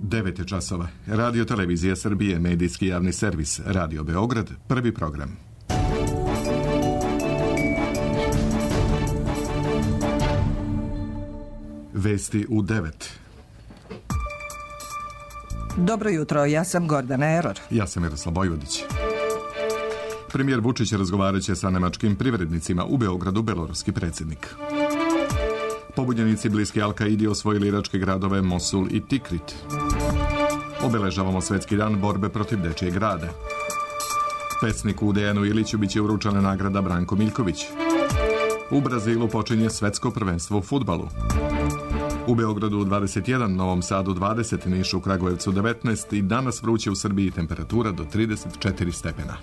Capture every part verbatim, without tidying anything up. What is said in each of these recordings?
devet je časova. Radio Televizija Srbije, medijski javni servis, Radio Beograd, prvi program. Vesti u devet. Dobro jutro, ja sam Gordana Eror. Ja sam Miroslav Bojvodić. Premijer Vučić razgovarat će sa nemačkim privrednicima u Beogradu, beloruski predsjednik. Pobunjenici bliski Al-Kaidi osvojili iračke gradove Mosul i Tikrit. Obeležavamo Svetski dan borbe protiv dečijeg rada. Pesniku Dejanu Iliću biće uručena nagrada Branko Miljković. U Brazilu počinje svetsko prvenstvo u fudbalu. U Beogradu dvadeset jedan, Novom Sadu dvadeset, Nišu, Kragujevcu devetnaest i danas vruće u Srbiji, temperatura do trideset četiri stepena.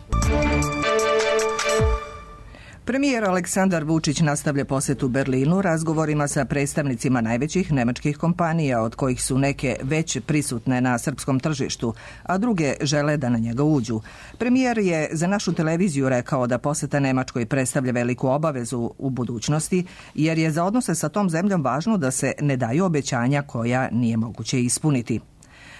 Premijer Aleksandar Vučić nastavlja posjetu Berlinu razgovorima sa predstavnicima najvećih nemačkih kompanija, od kojih su neke već prisutne na srpskom tržištu, a druge žele da na njega uđu. Premijer je za našu televiziju rekao da posjeta Nemačkoj predstavlja veliku obavezu u budućnosti, jer je za odnose sa tom zemljom važno da se ne daju obećanja koja nije moguće ispuniti.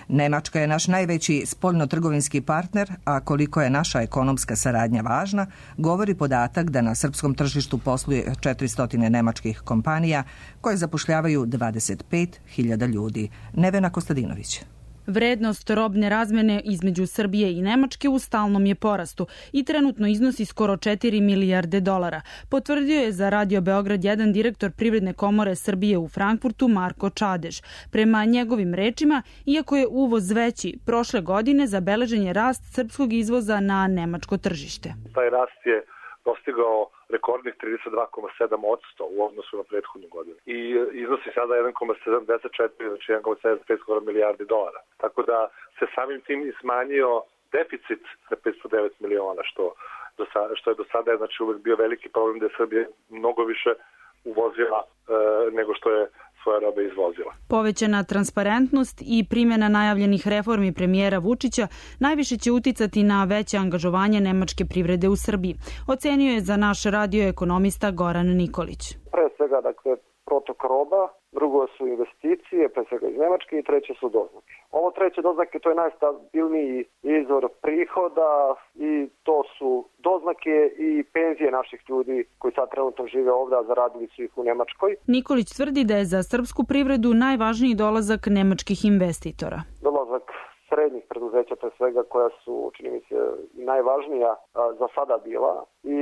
Nemačka je naš najveći spoljno-trgovinski partner, a koliko je naša ekonomska saradnja važna, govori podatak da na srpskom tržištu posluje četiristo nemačkih kompanija koje zapošljavaju dvadeset pet hiljada ljudi. Nevena Kostadinović. Vrednost robne razmene između Srbije i Nemačke u stalnom je porastu i trenutno iznosi skoro četiri milijarde dolara, potvrdio je za Radio Beograd jedan direktor Privredne komore Srbije u Frankfurtu Marko Čadež. Prema njegovim rečima, iako je uvoz veći, prošle godine zabeležen je rast srpskog izvoza na nemačko tržište. Taj rast je dostigao rekordnih trideset dva zarez sedam posto u odnosu na prethodnu godinu i iznosi sada jedan zarez sedamdeset četiri, znači jedan zarez sedamdeset pet skoro milijardi dolara. Tako da se samim tim i smanjio deficit na petsto devet miliona, što, do sada, što je do sada znači, uvek bio veliki problem da je Srbija mnogo više uvozila e, nego što je svoje robe izvozila. Povećana transparentnost i primjena najavljenih reformi premijera Vučića najviše će uticati na veće angažovanje nemačke privrede u Srbiji, ocenio je za naš radio ekonomista Goran Nikolić. Pre svega, dakle, protok roba, drugo su investicije, pre svega iz Nemačke, i treće su doznake. Ovo treće doznake, to je najstabilniji izvor prihoda i to su doznake i penzije naših ljudi koji sad trenutno žive ovdje, a zaradili su ih u Nemačkoj. Nikolić tvrdi da je za srpsku privredu najvažniji dolazak nemačkih investitora. Dolazak srednjih preduzeća, pre svega, koja su, čini mi se, najvažnija a, za sada bila, i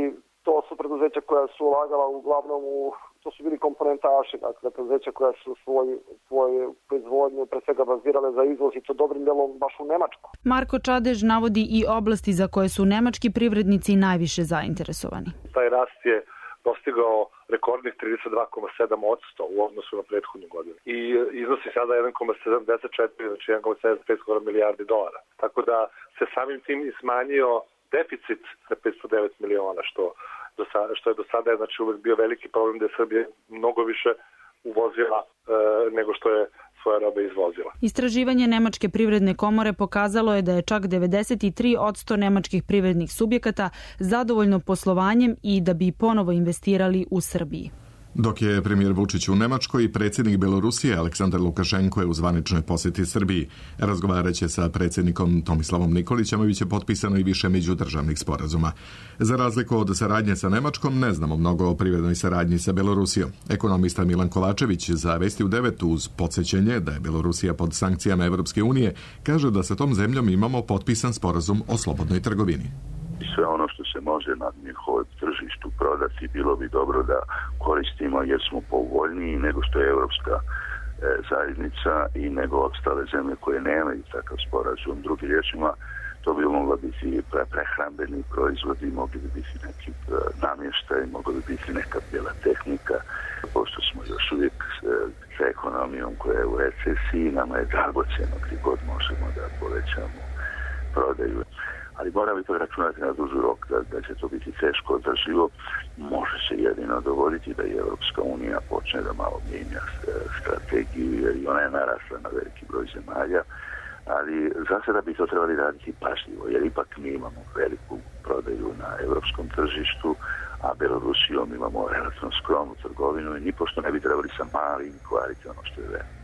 to su preduzeća koja su ulagala uglavnom u, to su bili komponentaši, dakle preduzeća koja su svoju, svoju proizvodnju pre svega bazirale za izvoz, i to dobrim delom baš u Nemačku. Marko Čadež navodi i oblasti za koje su nemački privrednici najviše zainteresovani. Taj rast je dostigao rekordnih trideset dva zarez sedam posto u odnosu na prethodnu godinu i iznosi sada jedan zarez sedamdeset četiri, znači jedan zarez sedamdeset pet skoro milijardi dolara. Tako da se samim tim i smanjio deficit na petsto devet miliona, što, do sada, što je do sada znači, uvek bio veliki problem da je Srbija mnogo više uvozila e, nego što je svoje robe izvozila. Istraživanje Nemačke privredne komore pokazalo je da je čak devedeset tri posto nemačkih privrednih subjekata zadovoljno poslovanjem i da bi ponovo investirali u Srbiji. Dok je premijer Vučić u Nemačkoj, predsjednik Belorusije Aleksandar Lukašenko je u zvaničnoj posjeti Srbiji. Razgovarat će sa predsjednikom Tomislavom Nikolićem, a biće potpisano i više međudržavnih sporazuma. Za razliku od saradnje sa Nemačkom, ne znamo mnogo o privrednoj saradnji sa Belorusijom. Ekonomista Milan Kovačević za Vesti u devet, uz podsjećenje da je Belorusija pod sankcijama Evropske unije, kaže da sa tom zemljom imamo potpisan sporazum o slobodnoj trgovini. Sve ono što se može na njihovom tržištu prodati bilo bi dobro da koristimo, jer smo povoljniji nego što je Evropska e, zajednica i nego ostale zemlje koje nemaju takav sporazum. Drugim riječima, to bi mogla biti pre, prehrambeni proizvodi, mogli bi biti neki e, namještaj, mogla bi biti neka bijela tehnika. Pošto smo još uvijek e, sa ekonomijom koja je u recesiji, nama je dragocjeno gdje god možemo da povećamo prodaju. Ali mora bi to računati na duži rok, da, da će to biti teško održivo. Može se jedino dogoditi da i Evropska unija počne da malo mijenja strategiju, jer i ona je narasla na veliki broj zemalja, ali za sada bi to trebali raditi pažljivo, jer ipak mi imamo veliku prodaju na evropskom tržištu, a Belorusijom imamo relativno skromnu trgovinu i nipošto ne bi trebali sa malim kvariti ono što je velimo.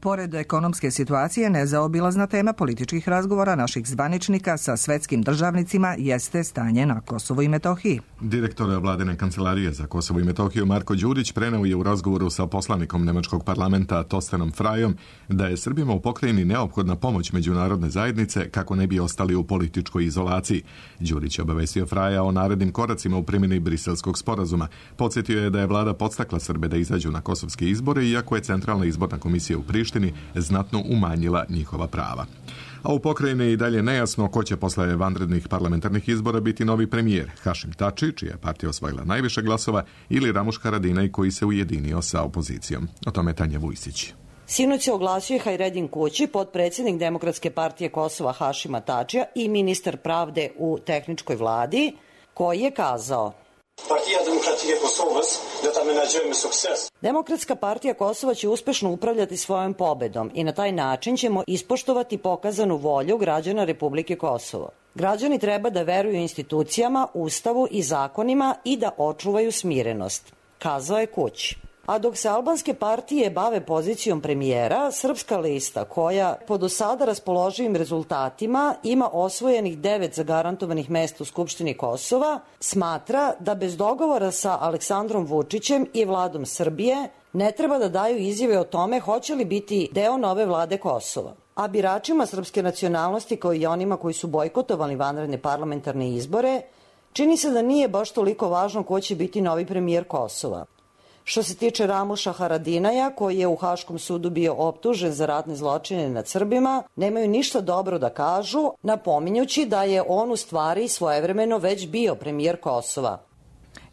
Pored ekonomske situacije, nezaobilazna tema političkih razgovora naših zvaničnika sa svetskim državnicima jeste stanje na Kosovu i Metohiji. Direktor vladine kancelarije za Kosovo i Metohiju Marko Đurić preneo je u razgovoru sa poslanikom nemačkog parlamenta Tostenom Frajom da je Srbima u pokrajini neophodna pomoć međunarodne zajednice kako ne bi ostali u političkoj izolaciji. Đurić je obavestio Fraja o narednim koracima u primjeni Briselskog sporazuma. Podsjetio je da je vlada podstakla Srbe da izađu na kosovske izbore, iako je Centralna izborna komisija u Prištini znatno umanjila njihova prava. A u pokrajini je i dalje nejasno ko će posle vanrednih parlamentarnih izbora biti novi premijer, Hašim Tači, čija je partija osvojila najviše glasova, ili Ramuš Haradinaj, koji se ujedinio sa opozicijom. O tome Tanja Vujsić. Sinoć se oglasio je Hajredin Kući, potpredsjednik Demokratske partije Kosova Hašima Tačija i ministar pravde u tehničkoj vladi, koji je kazao: Partija Demokratike Kosova da tamo nađemo sukces. Demokratska partija Kosova će uspešno upravljati svojom pobedom i na taj način ćemo ispoštovati pokazanu volju građana Republike Kosovo. Građani treba da veruju institucijama, ustavu i zakonima i da očuvaju smirenost, kazao je Kući. A dok se albanske partije bave pozicijom premijera, Srpska lista, koja po do sada raspoloživim rezultatima ima osvojenih devet zagarantovanih mesta u Skupštini Kosova, smatra da bez dogovora sa Aleksandrom Vučićem i vladom Srbije ne treba da daju izjave o tome hoće li biti deo nove vlade Kosova. A biračima srpske nacionalnosti, kao i onima koji su bojkotovali vanredne parlamentarne izbore, čini se da nije baš toliko važno ko će biti novi premijer Kosova. Što se tiče Ramuša Haradinaja, koji je u Haškom sudu bio optužen za ratne zločine nad Srbima, nemaju ništa dobro da kažu, napominjući da je on u stvari svojevremeno već bio premijer Kosova.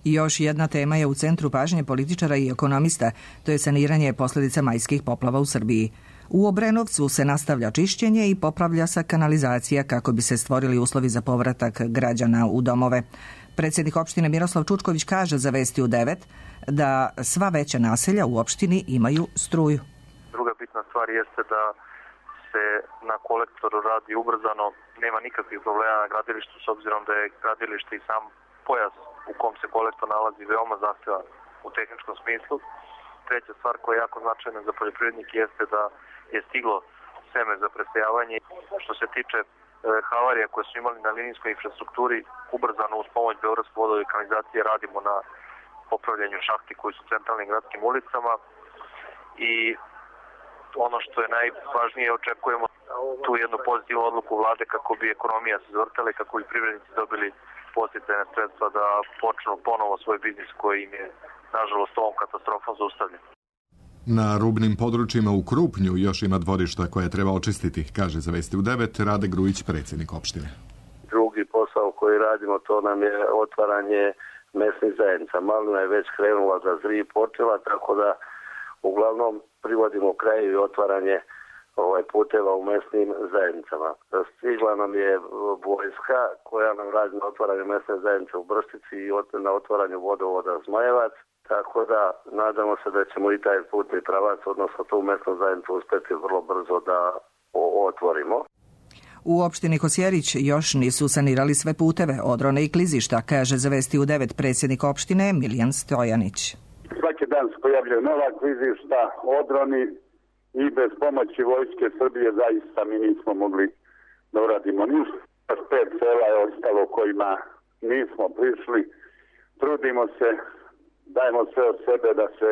I još jedna tema je u centru pažnje političara i ekonomista, to je saniranje posljedica majskih poplava u Srbiji. U Obrenovcu se nastavlja čišćenje i popravlja se kanalizacija kako bi se stvorili uslovi za povratak građana u domove. Predsjednik opštine Miroslav Čučković kaže za Vesti u devet da sva veća naselja u opštini imaju struju. Druga bitna stvar jeste da se na kolektoru radi ubrzano, nema nikakvih problema na gradilištu s obzirom da je gradilište i sam pojas u kom se kolektor nalazi veoma zahtjevan u tehničkom smislu. Treća stvar koja je jako značajna za poljoprivrednike jeste da je stiglo seme za presejavanje. Što se tiče havarija koje su imali na linijskoj infrastrukturi, ubrzano uz pomoć Beogradske vodove i kanalizacije radimo na popravljanju šahti koji su u centralnim gradskim ulicama i ono što je najvažnije, očekujemo tu jednu pozitivnu odluku vlade kako bi ekonomija se zavrtala i kako bi privrednici dobili podsticajne sredstva da počnu ponovo svoj biznis koji im je nažalost ovom katastrofom zaustavljen. Na rubnim područjima u Krupnju još ima dvorišta koje treba očistiti, kaže za Vesti u devet Rade Grujić, predsjednik opštine. Drugi posao koji radimo, to nam je otvaranje mesnih zajednica. Malina je već krenula da zri počela, tako da uglavnom privodimo kraju i otvaranje ovaj, puteva u mesnim zajednicama. Stigla nam je vojska koja nam radi na otvaranju mesne zajednice u Brštici i na otvaranju vodovoda Zmajevac. Tako da nadamo se da ćemo i taj putni pravac, odnosno tu mesnu zajednicu uspeti vrlo brzo da otvorimo. U opštini Kosjerić još nisu sanirali sve puteve, odrone i klizišta, kaže za Vesti u devet predsjednik opštine Miljan Stojanić. Svaki dan se pojavljaju nova klizišta, odroni i bez pomoći vojske Srbije zaista mi nismo mogli da uradimo ništa. Pet sela je ostalo kojima nismo prišli. Trudimo se, dajemo sve od sebe da se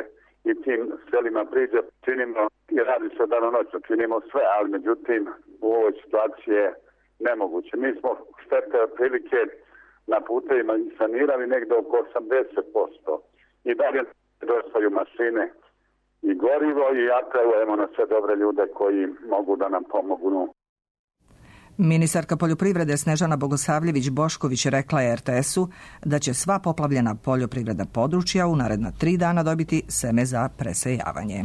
i tim selima priđe. Činimo i radi se danonoćno, činimo sve, ali međutim u ovoj situaciji je nemoguće. Mi smo štete otprilike na putevima sanirali negde oko osamdeset posto. I dalje dostaju mašine i gorivo i apelujemo na sve dobre ljude koji mogu da nam pomognu. Ministarka poljoprivrede Snežana Bogosavljević-Bošković rekla je er te esu da će sva poplavljena poljoprivredna područja u naredna tri dana dobiti seme za presejavanje.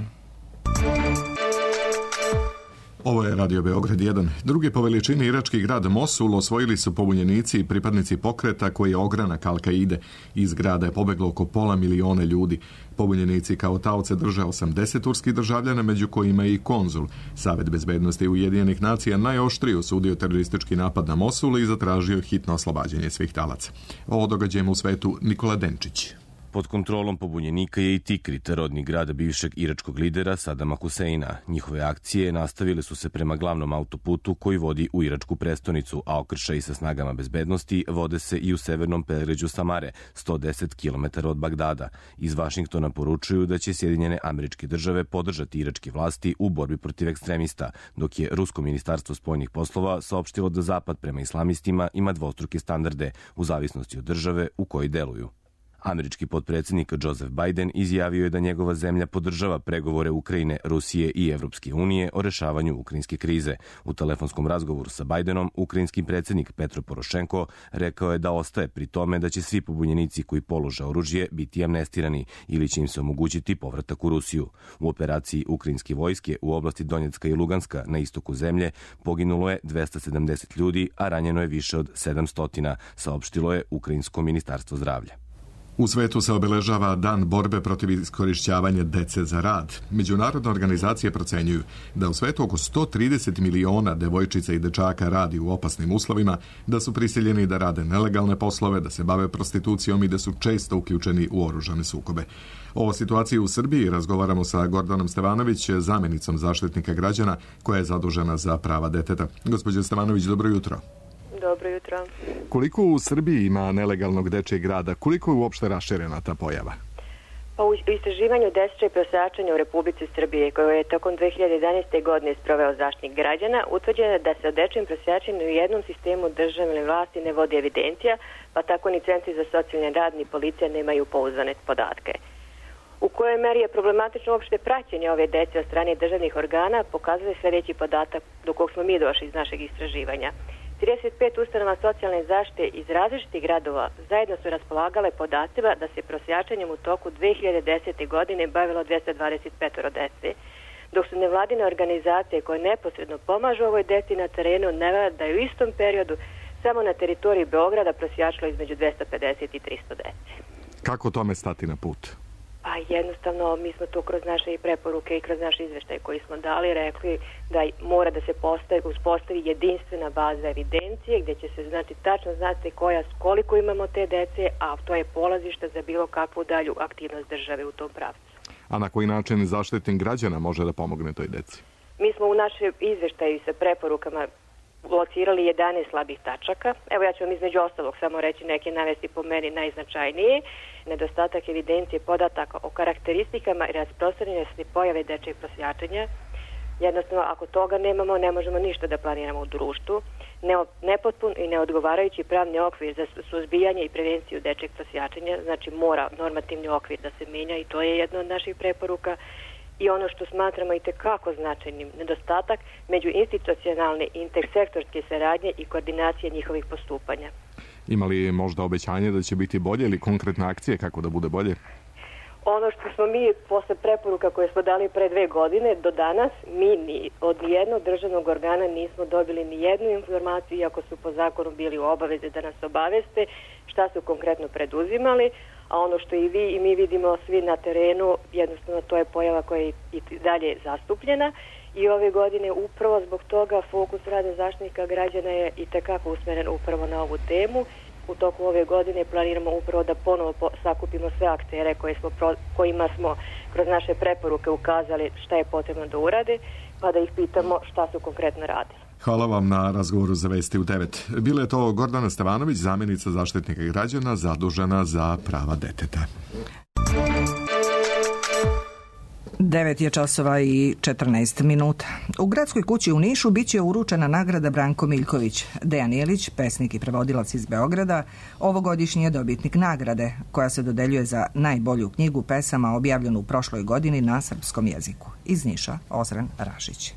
Ovo je Radio Beograd jedan. Drugi po veličini irački grad Mosul osvojili su pobunjenici i pripadnici pokreta koji je ogranak Al-Kaide. Iz grada je pobeglo oko pola miliona ljudi. Pobunjenici kao taoce drže osamdeset turskih državljana, među kojima i konzul. Savet bezbednosti Ujedinjenih nacija najoštrije osudio teroristički napad na Mosul i zatražio hitno oslobađanje svih talaca. O događajima u svetu Nikola Denčić. Pod kontrolom pobunjenika je i Tikrit, rodni grad bivšeg iračkog lidera Sadama Huseina. Njihove akcije nastavile su se prema glavnom autoputu koji vodi u iračku prestonicu, a okršaji sa snagama bezbednosti vode se i u severnom predgrađu Samare, sto deset kilometara od Bagdada. Iz Vašingtona poručuju da će Sjedinjene Američke Države podržati iračke vlasti u borbi protiv ekstremista, dok je Rusko ministarstvo spoljnih poslova saopštilo da Zapad prema islamistima ima dvostruke standarde u zavisnosti od države u kojoj deluju. Američki potpredsjednik Joseph Biden izjavio je da njegova zemlja podržava pregovore Ukrajine, Rusije i Evropske unije o rešavanju ukrajinske krize. U telefonskom razgovoru sa Bidenom, ukrajinski predsjednik Petro Porošenko rekao je da ostaje pri tome da će svi pobunjenici koji polože oružje biti amnestirani ili će im se omogućiti povratak u Rusiju. U operaciji ukrajinske vojske u oblasti Donjecka i Luganska na istoku zemlje poginulo je dvesta sedamdeset ljudi, a ranjeno je više od sedamsto, saopštilo je Ukrajinsko ministarstvo zdravlja. U svetu se obeležava Dan borbe protiv iskorišćavanja dece za rad. Međunarodne organizacije procenjuju da u svetu oko sto trideset miliona devojčica i dečaka radi u opasnim uslovima, da su prisiljeni da rade nelegalne poslove, da se bave prostitucijom i da su često uključeni u oružane sukobe. O situaciji u Srbiji razgovaramo sa Gordanom Stevanović, zamjenicom zaštitnika građana koja je zadužena za prava deteta. Gospođo Stevanović, dobro jutro. Dobro jutro. Koliko u Srbiji ima nelegalnog dečjeg rada? Koliko je uopšte raširena ta pojava? Pa u istraživanju dečije prosjačenja u Republici Srbije, koje je tokom dve hiljade jedanaeste. godine sproveo Zaštitnik građana, utvrđeno je da se o dečijem prosjačenju u jednom sistemu državne vlasti ne vodi evidencija, pa tako ni centri za socijalni rad ni policija nemaju pouzdane podatke. U kojoj meri je problematično uopšte praćenje ove dece od strane državnih organa, pokazuje sljedeći podatak do kog smo mi došli iz našeg istraživanja. trideset pet ustanova socijalne zaštite iz različitih gradova zajedno su raspolagale podacima da se prosjačenjem u toku dve hiljade desete. godine bavilo dvesta dvadeset pet dece, dok su nevladine organizacije koje neposredno pomažu ovoj deci na terenu navele da je u istom periodu samo na teritoriji Beograda prosjačilo između dvesta pedeset i trista dece. Kako tome stati na put? Pa jednostavno mi smo to kroz naše preporuke i kroz naše izveštaje koji smo dali rekli da mora da se postavi, uspostavi jedinstvena baza evidencije gdje će se znači tačno znati koja, koliko imamo te dece, a to je polazište za bilo kakvu dalju aktivnost države u tom pravcu. A na koji način Zaštitnik građana može da pomogne toj deci? Mi smo u našem izveštaju sa preporukama locirali jedanaest slabih tačaka. Evo ja ću vam između ostalog samo reći neke navesti po meni najznačajnije. Nedostatak evidencije podataka o karakteristikama i rasprostranjenosti pojave dečjeg prosjačenja. Jednostavno, ako toga nemamo, ne možemo ništa da planiramo u društvu. Nepotpun i neodgovarajući pravni okvir za suzbijanje i prevenciju dečjeg prosjačenja, znači mora normativni okvir da se menja i to je jedna od naših preporuka. I ono što smatramo i tekako značajnim, nedostatak međuinstitucionalne i intersektorske saradnje i koordinacije njihovih postupanja. Ima li možda obećanje da će biti bolje ili konkretne akcije kako da bude bolje? Ono što smo mi posle preporuka koje smo dali pre dve godine do danas, mi ni od nijednog državnog organa nismo dobili ni jednu informaciju, iako su po zakonu bili u obavezi da nas obaveste šta su konkretno preduzimali, a ono što i vi i mi vidimo svi na terenu, jednostavno to je pojava koja je i dalje zastupljena i ove godine upravo zbog toga fokus rada Zaštitnika građana je i tekako usmeren upravo na ovu temu. U toku ove godine planiramo upravo da ponovo sakupimo sve aktere koje smo, kojima smo kroz naše preporuke ukazali šta je potrebno da urade, pa da ih pitamo šta su konkretno radili. Hvala vam na razgovoru za Vesti u devet. Bila je to Gordana Stevanović, zamjenica Zaštitnika građana zadužena za prava deteta. devet je časova i četrnaest minuta. U Gradskoj kući u Nišu biće uručena nagrada Branko Miljković. Dejan Ilić, pesnik i prevodilac iz Beograda, ovogodišnji je dobitnik nagrade, koja se dodeljuje za najbolju knjigu pesama objavljenu u prošloj godini na srpskom jeziku. Iz Niša, Ozren Rašić.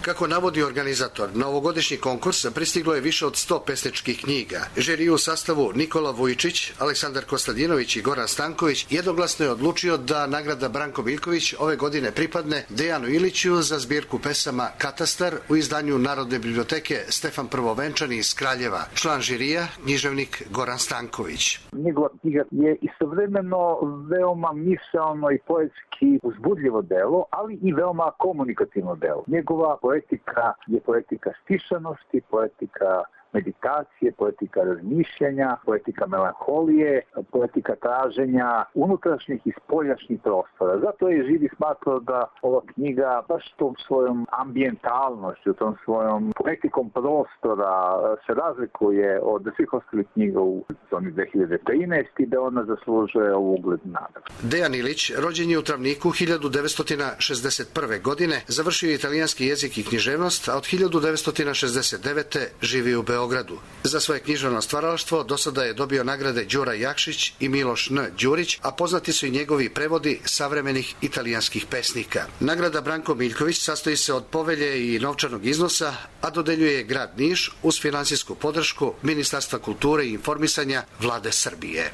Kako navodi organizator, na ovogodišnji konkurs pristiglo je više od sto pesničkih knjiga. Žiri u sastavu Nikola Vujčić, Aleksandar Kostadinović i Goran Stanković jednoglasno je odlučio da nagrada Branko Miljković ove godine pripadne Dejanu Iliću za zbirku pesama Katastar u izdanju Narodne biblioteke Stefan Prvovenčani iz Kraljeva. Član žirija, književnik Goran Stanković. Njegova knjiga je istovremeno veoma misaono i poetski uzbudljivo delo, ali i veoma komunikativno delo. Njegova poetika je poetika stišanosti, poetika meditacije, poetika razmišljanja, poetika melanholije, poetika traženja unutrašnjih i spoljašnjih prostora. Zato je Živi smatrao da ova knjiga baš tom svojom ambijentalnošću, tom svojom poetikom prostora se razlikuje od svih ostalih knjiga u sezoni dve hiljade trinaeste i da ona zaslužuje ovu uglednu nagradu. Dejan Ilić rođen je u Travniku hiljadu devetsto šezdeset prve. godine, završio je italijanski jezik i književnost, a od hiljadu devetsto šezdeset devete. živi u Beogradu. Za svoje književno stvaralaštvo do sada je dobio nagrade Đura Jakšić i Miloš N. Đurić, a poznati su i njegovi prevodi savremenih italijanskih pesnika. Nagrada Branko Miljković sastoji se od povelje i novčanog iznosa, a dodeljuje grad Niš uz finansijsku podršku Ministarstva kulture i informisanja Vlade Srbije.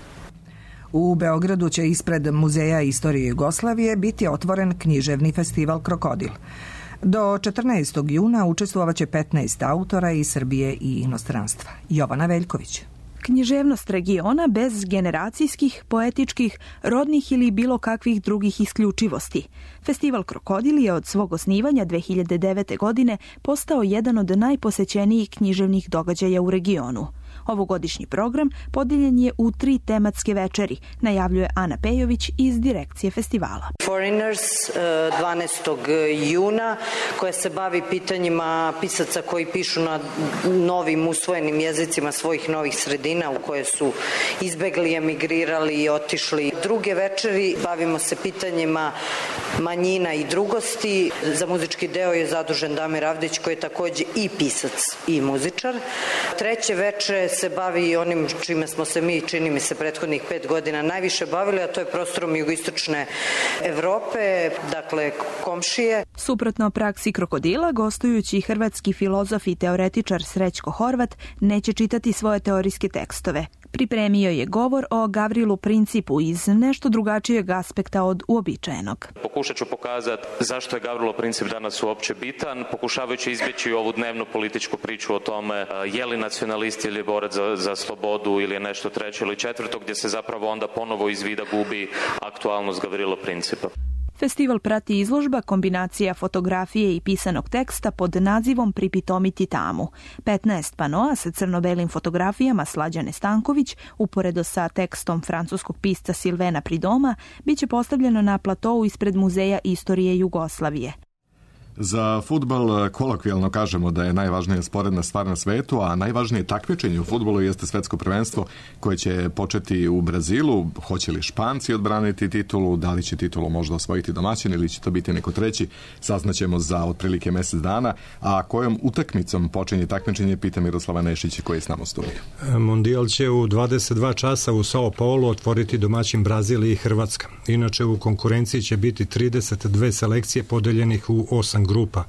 U Beogradu će ispred Muzeja istorije Jugoslavije biti otvoren književni festival Krokodil. Do četrnaestog juna učestvovaće petnaest autora iz Srbije i inostranstva. Jovana Veljković. Književnost regiona bez generacijskih, poetičkih, rodnih ili bilo kakvih drugih isključivosti. Festival Krokodil je od svog osnivanja dve hiljade devete. godine postao jedan od najposećenijih književnih događaja u regionu. Ovogodišnji program podijeljen je u tri tematske večeri, najavljuje Ana Pejović iz direkcije festivala. Foreigners dvanaestog juna, koja se bavi pitanjima pisaca koji pišu na novim usvojenim jezicima svojih novih sredina u koje su izbegli, emigrirali i otišli. Druge večeri bavimo se pitanjima manjina i drugosti. Za muzički deo je zadužen Damir Avdić, koji je takođe i pisac i muzičar. Treće veče se bavi onim čime smo se mi, čini mi se, prethodnih pet godina najviše bavili, a to je prostorom jugoistočne Evrope, dakle komšije. Suprotno praksi Krokodila, gostujući hrvatski filozof i teoretičar Srećko Horvat neće čitati svoje teorijske tekstove. Pripremio je govor o Gavrilu Principu iz nešto drugačijeg aspekta od uobičajenog. Pokušat ću pokazati zašto je Gavrilo Princip danas uopće bitan, pokušavajući izbjeći ovu dnevnu političku priču o tome je li nacionalist ili je borac za, za slobodu ili je nešto treće ili četvrto, gdje se zapravo onda ponovo iz vida gubi aktualnost Gavrilo Principa. Festival prati izložba kombinacija fotografije i pisanog teksta pod nazivom Pripitomiti tamu. petnaest panoa sa crno-belim fotografijama Slađane Stanković, uporedo sa tekstom francuskog pisca Silvena Pridoma, biće postavljeno na platou ispred Muzeja istorije Jugoslavije. Za fudbal kolokvijalno kažemo da je najvažnija sporedna stvar na svetu, a najvažnije takmičenje u fudbalu jeste svetsko prvenstvo koje će početi u Brazilu. Hoće li Španci odbraniti titulu, da li će titulu možda osvojiti domaćin ili će to biti neko treći, saznaćemo za otprilike mjesec dana. A kojom utakmicom počinje takmičenje, pita Miroslava Nešić koji je s nama u studiju. Mondijal će u dvadeset dva časa u Sao Paulu otvoriti domaćin Brazil i Hrvatska. Inače u konkurenciji će biti trideset dve selekcije podeljenih u osam grupa.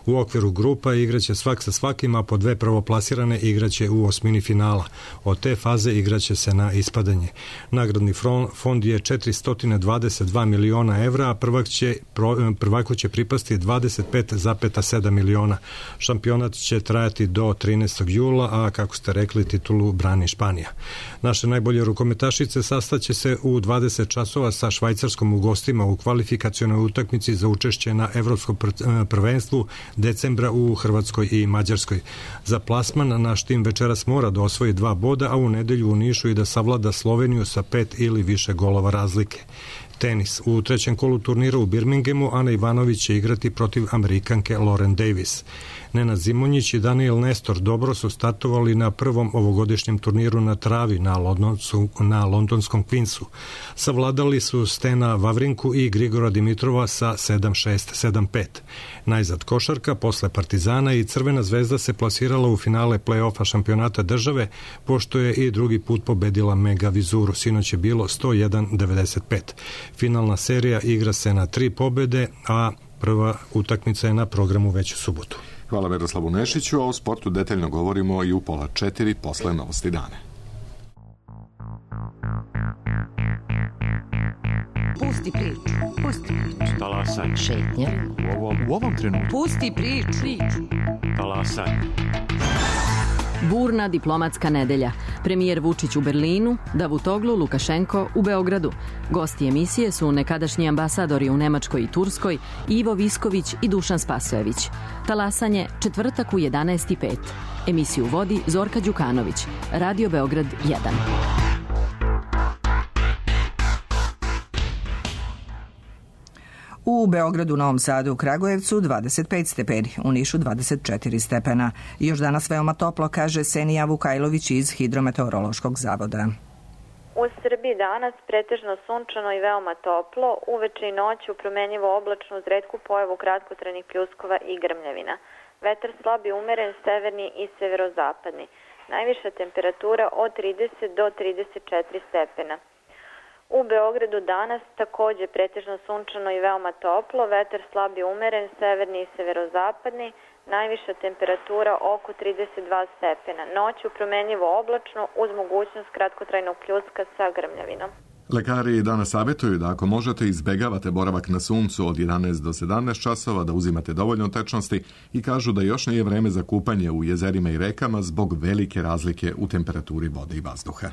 U okviru grupa igraće svak sa svakim, a po dve prvoplasirane igraće u osmini finala. Od te faze igraće se na ispadanje. Nagradni fond je četiristo dvadeset dva miliona evra, a prvak će, prvaku će pripasti dvadeset pet zarez sedam miliona. Šampionat će trajati do trinaestog jula, a kako ste rekli, titulu brani Španija. Naše najbolje rukometašice sastaće se u dvadeset časova sa Švajcarskom u gostima u kvalifikacionoj utakmici za učešće na evropskom prvenstvu decembra u Hrvatskoj i Mađarskoj. Za plasman naš tim večeras mora da osvoji dva boda, a u nedelju u Nišu i da savlada Sloveniju sa pet ili više golova razlike. Tenis. U trećem kolu turnira u Birminghamu Ana Ivanović će igrati protiv Amerikanke Lauren Davis. Nenad Zimonjić i Daniel Nestor dobro su startovali na prvom ovogodišnjem turniru na travi na, Londonsu, na londonskom Queensu. Savladali su Stena Vavrinku i Grigora Dimitrova sa sedam šest sedam pet. Najzad košarka, posle Partizana i Crvena zvezda se plasirala u finale play-offa šampionata države, pošto je i drugi put pobedila Mega Vizuru. Sinoć je bilo sto jedan devedeset pet. Finalna serija igra se na tri pobede, a prva utakmica je na programu već u subotu. Hvala Miroslavu Nešiću, a o sportu detaljno govorimo i u pola četiri posle Novosti dane. Pusti priču, pusti priču. Talasaj. Šetnja. U ovom, u ovom trenutku. Pusti priču. Talasaj. Burna diplomatska nedelja. Premijer Vučić u Berlinu, Davutoglu Lukašenko u Beogradu. Gosti emisije su nekadašnji ambasadori u Nemačkoj i Turskoj, Ivo Visković i Dušan Spasojević. Talasanje četvrtak u jedanaest i pet. Emisiju vodi Zorka Đukanović. Radio Beograd jedan. U Beogradu, Novom Sadu, Kragujevcu dvadeset pet stepeni, u Nišu dvadeset četiri stepena. Još danas veoma toplo, kaže Senija Vukajlović iz Hidrometeorološkog zavoda. U Srbiji danas pretežno sunčano i veoma toplo, uveče i noću promenjivo oblačno uz retku pojavu kratkotrajnih pljuskova i grmljavina. Vetar slab i umeren, severni i severozapadni. Najviša temperatura od trideset do trideset četiri stepena. U Beogradu danas takođe pretežno sunčano i veoma toplo, vetar slab i umeren, severni i severozapadni, najviša temperatura oko trideset dva stepena. Noću promenjivo oblačno uz mogućnost kratkotrajnog pljuska sa grmljavinom. Lekari danas savjetuju da ako možete izbegavate boravak na suncu od jedanaest do sedamnaest časova, da uzimate dovoljno tečnosti i kažu da još nije vreme za kupanje u jezerima i rekama zbog velike razlike u temperaturi vode i vazduha.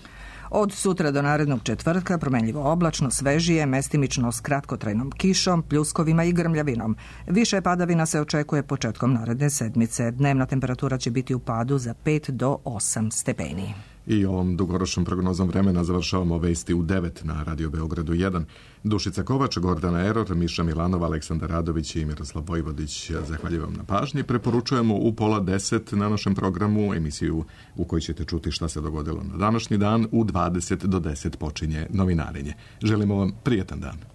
Od sutra do narednog četvrtka promenljivo oblačno, svežije, mestimično s kratkotrajnom kišom, pljuskovima i grmljavinom. Više padavina se očekuje početkom naredne sedmice. Dnevna temperatura će biti u padu za pet do osam stepeni. I ovom dugoročnom prognozom vremena završavamo vesti u devet na Radio Beogradu jedan. Dušica Kovač, Gordana Eror, Miša Milanova, Aleksandar Radović i Miroslav Vojvodić. Zahvaljujem vam na pažnji. Preporučujemo u pola deset na našem programu emisiju u kojoj ćete čuti šta se dogodilo na današnji dan. U dvadeset do deset počinje novinarenje. Želimo vam prijetan dan.